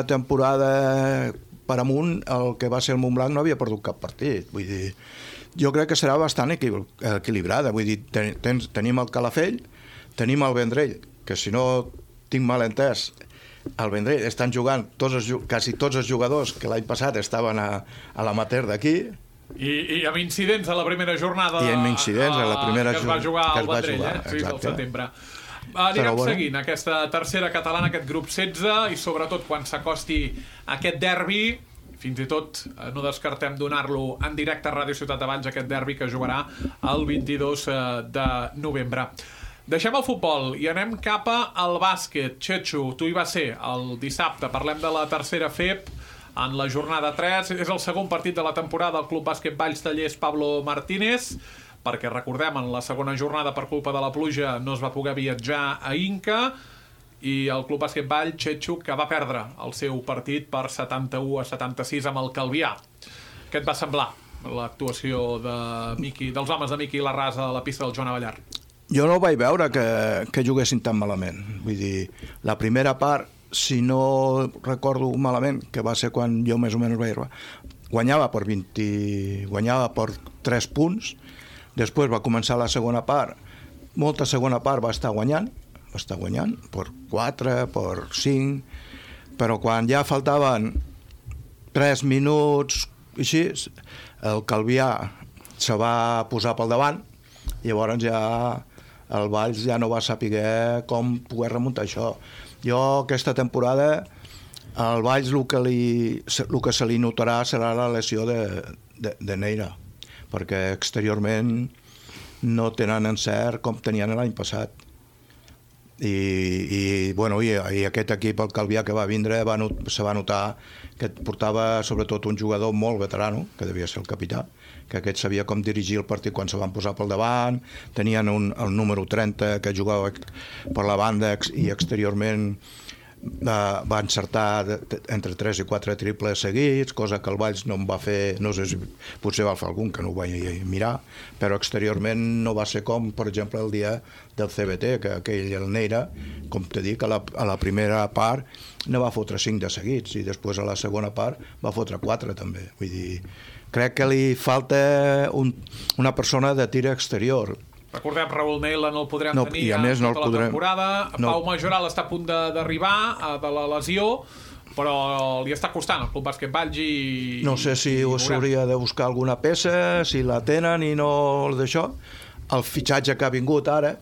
temporada per amunt el que va ser el Montblanc no havia perdut cap partit. Vull dir, jo crec que serà bastant equilibrada. Vull dir, tenim el Calafell, tenim el Vendrell, que si no tinc mal entès, al Vendrell estan jugant quasi tots els jugadors que l'any passat estaven a l'amateur d'aquí.
I amb incidents a la primera jornada
que
es va jugar al Vendrell, sí, al setembre. Anirem seguint aquesta tercera catalana, aquest grup 16, i sobretot quan s'acosti aquest derbi, fins i tot no descartem donar-lo en directe a Ràdio Ciutat de Valls, aquest derbi que jugarà el 22 de novembre. Deixem el futbol i anem cap al bàsquet. Xetxo, tu hi vas ser el dissabte. Parlem de la tercera FEP en la jornada 3. És el segon partit de la temporada del Club Bàsquet Valls Tallers Pablo Martínez, perquè recordem, en la segona jornada per culpa de la pluja no es va poder viatjar a Inca i el Club Bàsquet Valls, Xetxo, que va perdre el seu partit per 71-76 amb el Calvià. Què et va semblar l'actuació dels homes de Miqui Larrasa a la pista del Joan Avellar?
Jo no vaig veure que juguessin tan malament. Vull dir, la primera part, si no recordo malament, que va ser quan jo més o menys vaig arribar, guanyava per 3 punts, després va començar la segona part, molta segona part va estar guanyant per 4, per 5, però quan ja faltaven 3 minuts, així, el Calvià se va posar pel davant, i llavors ja el Valls ja no va saber com poder remuntar això. Jo aquesta temporada al Valls el que se li notarà serà la lesió de Neira, perquè exteriorment no tenen encert com tenien l'any passat. I aquest equip, el Calvià, que va vindre, se va notar que portava sobretot un jugador molt veterano, que devia ser el capità, que aquest sabia com dirigir el partit quan se van posar pel davant, tenien el número 30 que jugava per la banda i exteriorment va encertar entre 3 i 4 triples seguits, cosa que el Valls no em va fer, no sé si potser va fer algun que no ho vaig mirar, però exteriorment no va ser com, per exemple, el dia del CBT, que aquell, el Neira, com te dic, a la primera part no va fotre 5 de seguits i després a la segona part va fotre 4 també. Vull dir, crec que li falta una persona de tir exterior.
Recordem, Raül Neila no el podrem tenir
tota
la temporada. Pau Majoral està a punt d'arribar de la lesió, però li està costant al Club Bàsquet Valls i...
No sé si s'hauria de buscar alguna peça, si la tenen i no d'això. El fitxatge que ha vingut ara,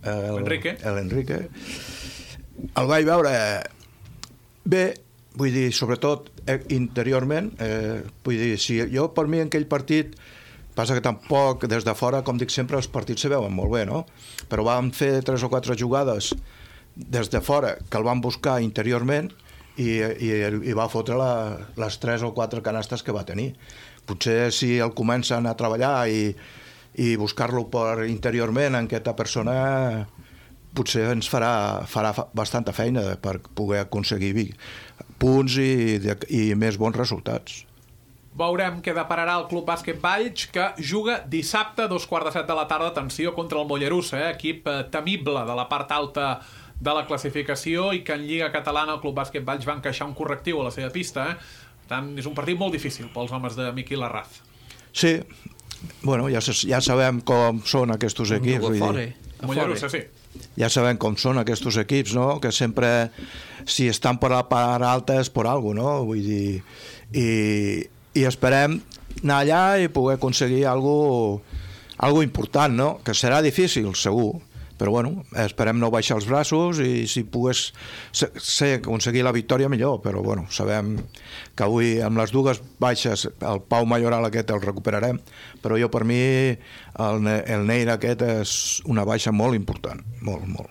l'Enrique. El vaig veure bé, vull dir, sobretot interiorment, vull dir, si jo per mi en aquell partit, passa que tampoc des de fora, com dic sempre, els partits se veuen molt bé, no? Però vam fer 3 o 4 jugades des de fora que el van buscar interiorment i va fotre les 3 o 4 canastes que va tenir. Potser si el comencen a treballar i buscar-lo per interiorment en aquesta persona, potser ens farà bastanta feina per poder aconseguir punts i més bons resultats.
Veurem què depararà el Club Bàsquet Valls, que juga dissabte a 2:15 de la tarda, atenció, contra el Mollerussa, equip temible de la part alta de la classificació i que en Lliga Catalana el Club Bàsquet Valls va encaixar un correctiu a la seva pista. Per tant, és un partit molt difícil pels homes de Miquel Arraz.
Sí, bueno, ja sabem com són aquests equips.
Mollerussa, sí.
Ja sabem com són aquests equips, no? Que sempre, si estan per la part alta és per alguna cosa, no? Vull dir, i esperem anar allà i poder aconseguir algo important, no? Que serà difícil, segur, però bueno, esperem no baixar els braços i si pogués aconseguir la victòria millor, però bueno, sabem que avui amb les dues baixes el Pau Mayoral aquest el recuperarem, però jo per mi el Neira aquest és una baixa molt important, molt.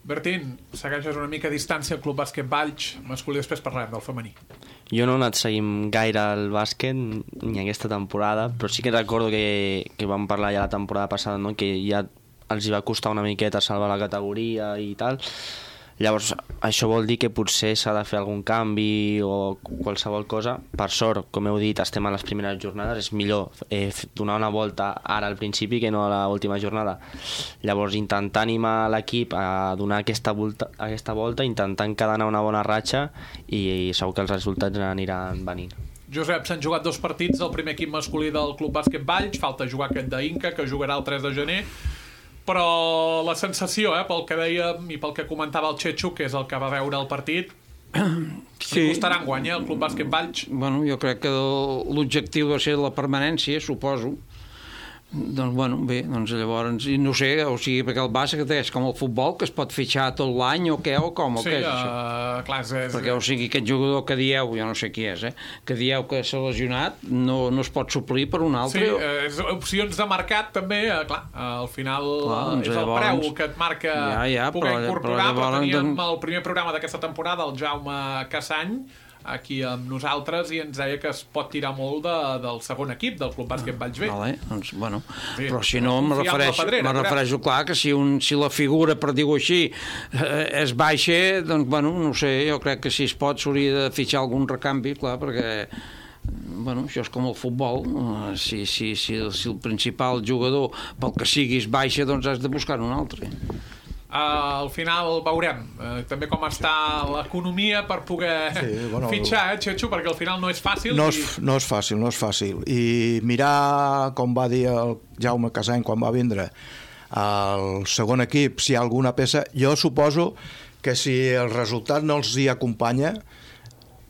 Bertín, segueixes una mica a distància al Club Bàsquet Valls masculí, després parlarem del femení.
Jo no he anat seguint gaire el bàsquet ni aquesta temporada, però sí que recordo que vam parlar ja la temporada passada, no? Que ja els hi va costar una miqueta salvar la categoria i tal. Llavors, això vol dir que potser s'ha de fer algun canvi o qualsevol cosa. Per sort, com heu dit, estem a les primeres jornades, és millor donar una volta ara al principi que no a l'última jornada. Llavors, intentar animar l'equip a donar aquesta volta, intentant quedar una bona ratxa i segur que els resultats aniran venint.
Josep, s'han jugat 2 partits del primer equip masculí del Club Bàsquet Valls, falta jugar aquest d'Inca, que jugarà el 3 de gener, però la sensació, pel que dèiem i pel que comentava el Txetxo, que és el que va veure el partit, li costarà enguany, el Club Bàsquet Valls?
Bueno, jo crec que l'objectiu va ser la permanència, suposo. Doncs, bueno, bé, doncs llavors, i no sé, o sigui, perquè el bàsquet és com el futbol, que es pot fitxar tot l'any o què, o com, o què és això?
Clar,
perquè, o sigui, aquest jugador que dieu, jo no sé qui és, que dieu que s'ha lesionat, no es pot suplir per un altre.
Sí, opcions de mercat també, clar, al final és el preu que et marca poder incorporar, però teníem el primer programa d'aquesta temporada, el Jaume Cassany, aquí amb nosaltres, i ens deia que es pot tirar molt del segon equip del Club Bàsquet Valls B.
Vale, doncs, bueno, sí, però si no, me refereixo, clar, que si la figura, per dir-ho així, es baixa, doncs, bueno, no sé, jo crec que si es pot s'hauria de fitxar algun recanvi, clar, perquè bueno, això és com el futbol, si el principal jugador pel que siguis baixa, doncs has de buscar un altre.
Al final veurem també com està l'economia per poder fitxar, Txetxo, perquè al final no és fàcil.
No és fàcil. I mirar, com va dir el Jaume Casany quan va vindre al segon equip, si hi ha alguna peça, jo suposo que si el resultat no els hi acompanya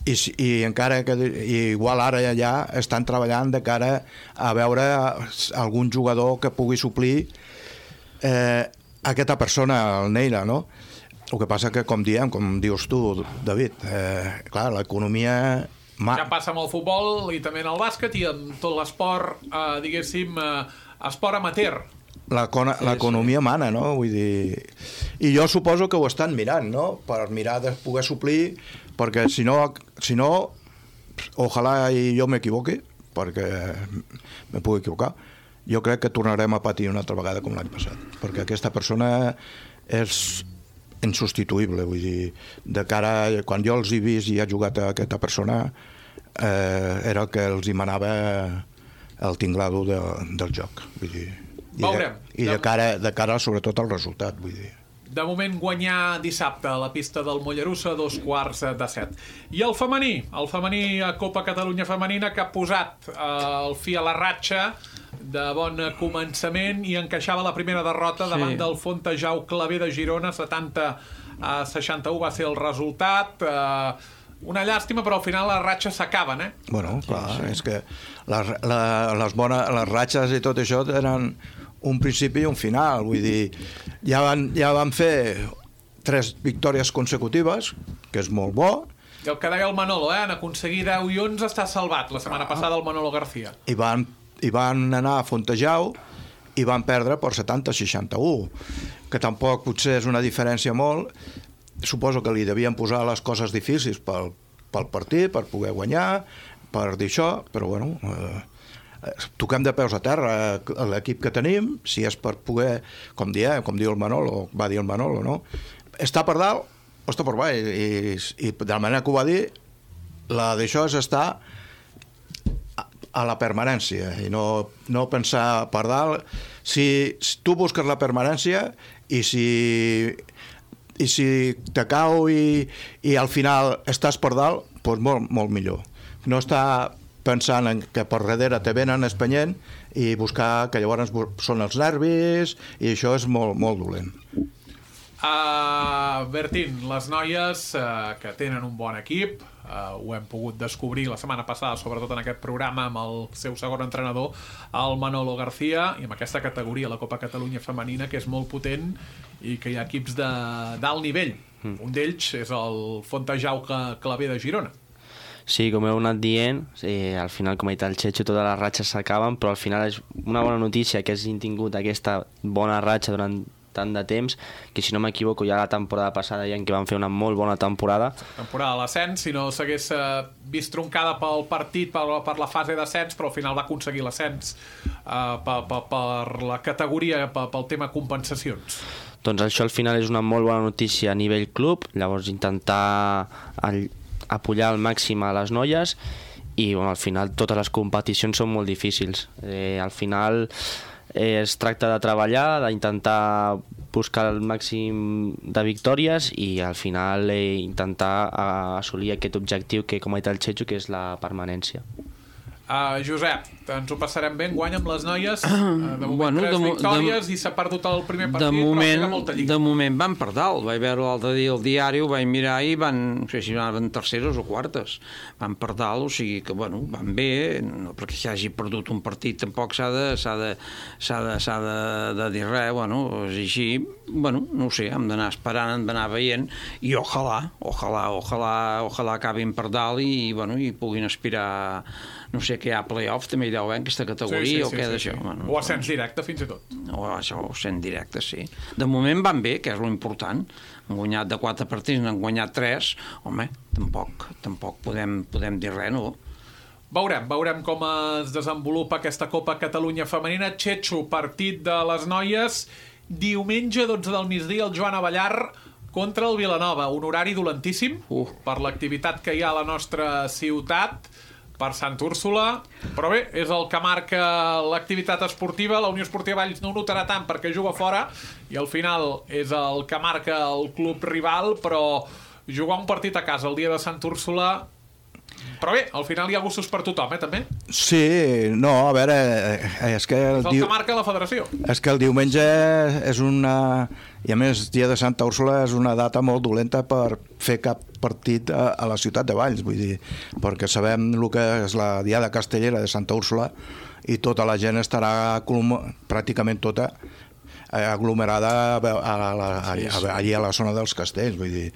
i encara que igual ara ja estan treballant de cara a veure algun jugador que pugui suplir aquesta persona, el Neira, no? El que passa que, com dius tu, David, clar, l'economia...
Ja passa amb el futbol i també en el bàsquet i en tot l'esport, diguéssim, esport amateur.
L'economia mana, no? Vull dir... I jo suposo que ho estan mirant, no? Per mirar de poder suplir, perquè si no, ojalà jo m'equivoqui, perquè me pugui equivocar, jo crec que tornarem a patir una altra vegada com l'any passat, perquè aquesta persona és insubstituïble, vull dir, de cara a quan jo els he vist i he jugat a aquesta persona, era el que els hi manava el tinglado del joc, vull dir, i de cara sobretot al resultat, vull dir.
De moment guanyar dissabte a la pista del Mollerussa a 6:45. I el femení a Copa Catalunya Femenina, que ha posat el fi a la ratxa de bon començament i encaixava la primera derrota davant del Fontejau Claver de Girona, 70-61 va ser el resultat. Una llàstima, però al final les ratxes s'acaben,
Bueno, clar, és que les ratxes i tot això eren un principi i un final, vull dir, ja van fer 3 victòries consecutives, que és molt bo.
I el que deia el Manolo, en aconseguir 10 i 11 està salvat la setmana passada el Manolo García.
I van anar a Fontejau i van perdre per 70-61, que tampoc potser és una diferència molt. Suposo que li devien posar les coses difícils pel partit, per poder guanyar, per dir això, però bueno, toquem de peus a terra l'equip que tenim, si és per poder, com diu el Manolo, va dir el Manolo, no? Està per dalt o està per baix, i de la manera que ho va dir, d'això és estar a la permanència i no pensar per dalt. Si tu busques la permanència i si te cau i al final estàs per dalt, doncs molt millor. No estar pensant en que per darrere te venen espanyent i buscar que llavors són els nervis, i això és molt dolent.
Bertín, les noies que tenen un bon equip, ho hem pogut descobrir la setmana passada, sobretot en aquest programa amb el seu segon entrenador, el Manolo García, i amb aquesta categoria, la Copa Catalunya femenina, que és molt potent i que hi ha equips d'alt nivell. Un d'ells és el Fontejau Claver de Girona.
Sí, com heu anat dient, al final, com ha dit el Checho, totes les ratxes s'acaben, però al final és una bona notícia que hagin tingut aquesta bona ratxa durant tant de temps, que si no m'equivoco ja la temporada passada ja en què van fer una molt bona temporada.
Temporada de l'ascens, si no s'hagués vist troncada pel partit, per la fase d'ascens, però al final va aconseguir l'ascens per la categoria, pel tema compensacions.
Doncs això al final és una molt bona notícia a nivell club, llavors intentar apoyar al màxim a les noies, i bueno, al final totes les competicions són molt difícils. Al final es tracta de treballar, d'intentar buscar el màxim de victòries i al final intentar assolir aquest objectiu que, com ha dit el Checho, que és la permanència.
Josep, ens ho passarem bé enguany amb les noies. De moment 3 victòries i s'ha perdut el primer partit, però queda molta lliga.
De moment van per dalt. Vaig veure l'altre dia el diari, ho vaig mirar i no sé si van terceres o quartes. Van per dalt, o sigui que van bé, no perquè s'hagi perdut un partit tampoc s'ha de dir res, és així. No ho sé, hem d'anar esperant, hem d'anar veient, i ojalà acabin per dalt i puguin aspirar, no sé, que hi ha play-off també hi deu haver en aquesta categoria o què d'això.
O ascens directe fins i tot.
O això, ascens directe, sí. De moment van bé, que és l'important. Han guanyat de 4 partits, n'han guanyat 3. Home, tampoc podem dir res, no?
Veurem com es desenvolupa aquesta Copa Catalunya femenina. Checho, partit de les noies, diumenge 12 del migdia, el Joan Avellar contra el Vilanova. Un horari dolentíssim per l'activitat que hi ha a la nostra ciutat, per Sant Úrsula, però bé, és el que marca l'activitat esportiva. La Unió Esportiva Valls no ho notarà tant perquè juga fora i al final és el que marca el club rival, però jugar un partit a casa el dia de Sant Úrsula... Però bé, al final hi ha gustos per tothom, també?
Sí, no, a veure... És que
el que marca la federació.
És que el diumenge és una... I a més, dia de Santa Úrsula és una data molt dolenta per fer cap partit a la ciutat de Valls, vull dir, perquè sabem el que és la Diada Castellera de Santa Úrsula i tota la gent estarà pràcticament tota aglomerada allí a la zona dels castells, vull dir...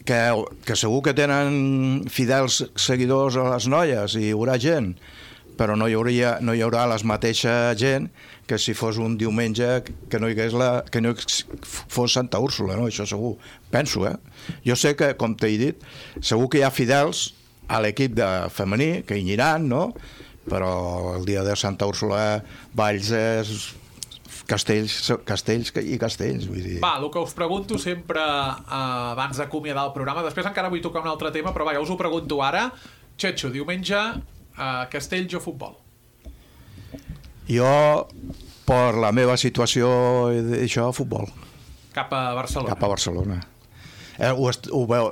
Que segur que tenen fidels seguidors a les noies i hi haurà gent, però no hi haurà la mateixa gent que si fos un diumenge que no fos Santa Úrsula, no? Això segur, penso, Jo sé que, com t'he dit, segur que hi ha fidels a l'equip de femení que hi aniran, no? Però el dia de Santa Úrsula Valls és... Castells i castells, vull dir.
Va, el que us pregunto sempre abans d'acomiadar el programa, després encara vull tocar un altre tema, però ja us ho pregunto ara. Checho, diumenge, castells o futbol?
Jo, per la meva situació, això, futbol.
Cap a Barcelona?
Cap a Barcelona. Ho veu,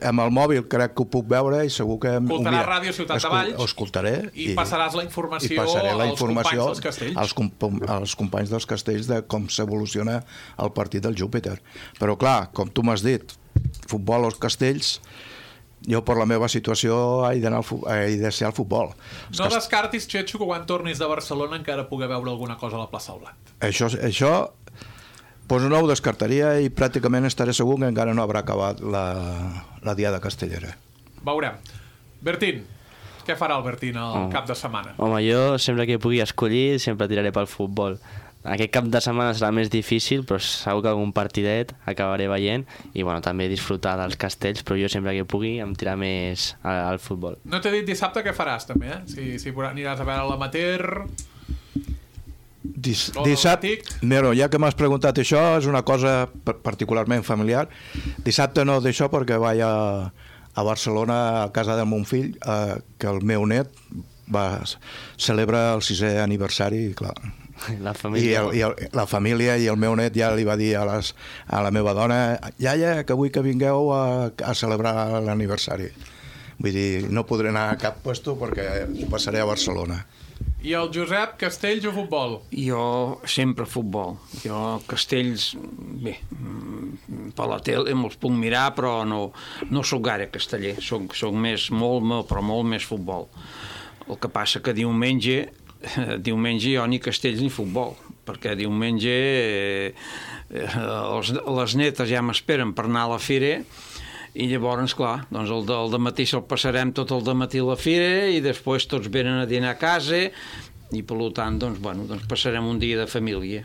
amb el mòbil crec que ho puc veure i segur que...
Escoltaràs Ràdio Ciutat de Valls.
Ho escoltaré.
I passaràs la informació als companys dels castells.
Als companys dels castells de com s'evoluciona el partit del Júpiter. Però clar, com tu m'has dit, futbol als castells, jo per la meva situació he de ser al futbol.
No descartis, Xetxo, que quan tornis de Barcelona encara pugui veure alguna cosa a la plaça Blat.
Això pues no ho descartaria i pràcticament estaré segur que encara no haurà acabat la Diada Castellera.
Veurem. Bertín, què farà el Bertín al cap de setmana?
Home, jo sempre que pugui escollir sempre tiraré pel futbol. Aquest cap de setmana serà més difícil, però segur que algun partidet acabaré veient i bueno, també disfrutar dels castells, però jo sempre que pugui em tirar més al futbol.
No t'he dit dissabte què faràs, també, si aniràs a veure l'amateur...
Dissabte, mira, ja que m'has preguntat això, és una cosa particularment familiar. Dissabte no d'això perquè vaig a Barcelona, a casa del meu fill, que el meu net celebra el 6è aniversari, i clar...
La família.
La família i el meu net ja li va dir a la meva dona, iaia, que vull que vingueu a celebrar l'aniversari. Vull dir, no podré anar a cap puesto perquè ho passaré a Barcelona.
I el Josep, castells o futbol?
Jo sempre futbol. Jo castells, bé, per la tele me'ls puc mirar, però no soc gaire casteller. Soc més, però molt més futbol. El que passa que diumenge jo ni castells ni futbol, perquè diumenge les netes ja m'esperen per anar a la fira i llavors, clar, doncs el dematí se'l passarem tot el dematí a la fira i després tots venen a dinar a casa i per tant, doncs passarem un dia de família.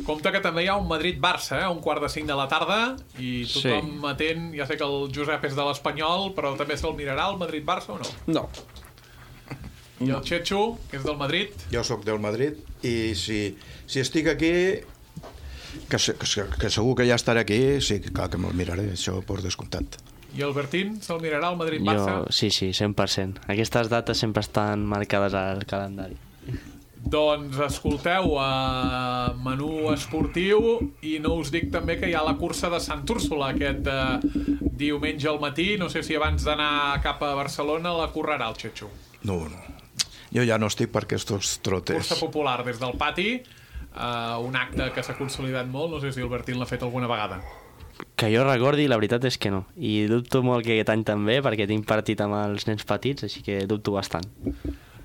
Compte que també hi ha un Madrid-Barça, un 4:45 de la tarda, i tothom atent, ja sé que el Josep és de l'Espanyol, però també se'l mirarà el Madrid-Barça o no?
No.
I el Xetxo, que és del Madrid?
Jo sóc del Madrid i si estic aquí, que segur que ja estaré aquí, sí, clar que me'l miraré, això per descomptat.
I el Bertín se'l mirarà al Madrid-Barça?
Sí, 100%. Aquestes dates sempre estan marcades al calendari.
Doncs escolteu, menú esportiu, i no us dic també que hi ha la cursa de Sant Úrsula aquest diumenge al matí. No sé si abans d'anar cap a Barcelona la correrà el Xetxo.
No. Jo ja no estic per aquests trotes.
Cursa popular des del pati, un acte que s'ha consolidat molt. No sé si el Bertín l'ha fet alguna vegada.
Que jo recordi, la veritat és que no. I dubto molt que aquest any també, perquè tinc partit amb els nens petits, així que dubto bastant.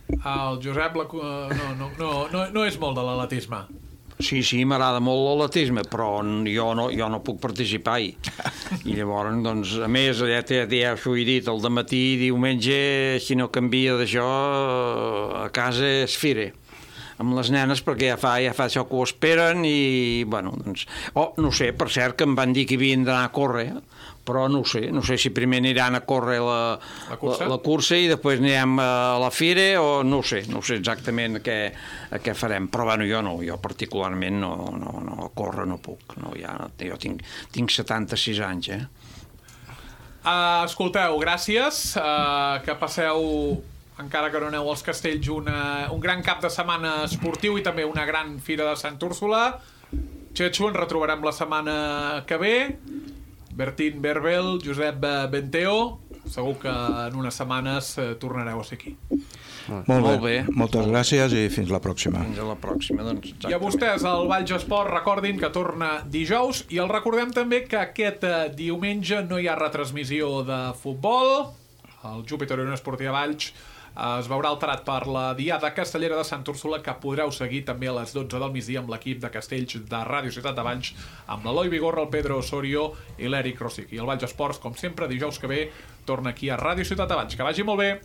El Josep no és molt de l'atletisme.
Sí, m'agrada molt l'atletisme, però jo no puc participar-hi. I llavors, doncs, a més, ja us ho he dit, el dematí, diumenge, si no canvia d'això, a casa es fira amb les nenes, perquè ja fa això que ho esperen i, bueno, doncs... no sé, per cert, que em van dir que havien d'anar a córrer, però no sé si primer aniran a córrer la cursa i després anirem a la fira o no sé exactament què farem, però bueno, jo particularment no a córrer no puc, jo tinc 76 anys,
Escolteu, gràcies, que passeu, encara que no aneu als castells, un gran cap de setmana esportiu i també una gran fira de Sant Úrsula. Xetxo, ens retrobarem la setmana que ve. Bertín Berbel, Josep Benteo, segur que en unes setmanes tornareu a ser aquí.
Molt bé. Moltes gràcies i fins la pròxima.
Fins a la pròxima, doncs.
I a vostès, el Valls Esport, recordin que torna dijous i els recordem també que aquest diumenge no hi ha retransmissió de futbol. El Júpiter Unió Esportiva Valls es veurà alterat per la Diada Castellera de Sant Úrsula, que podreu seguir també a les 12 del migdia amb l'equip de castells de Ràdio Ciutat de Valls, amb l'Eloi Vigorra, el Pedro Osorio i l'Eric Rosic. I el Valls Esports, com sempre, dijous que ve, torna aquí a Ràdio Ciutat de Valls. Que vagi molt bé!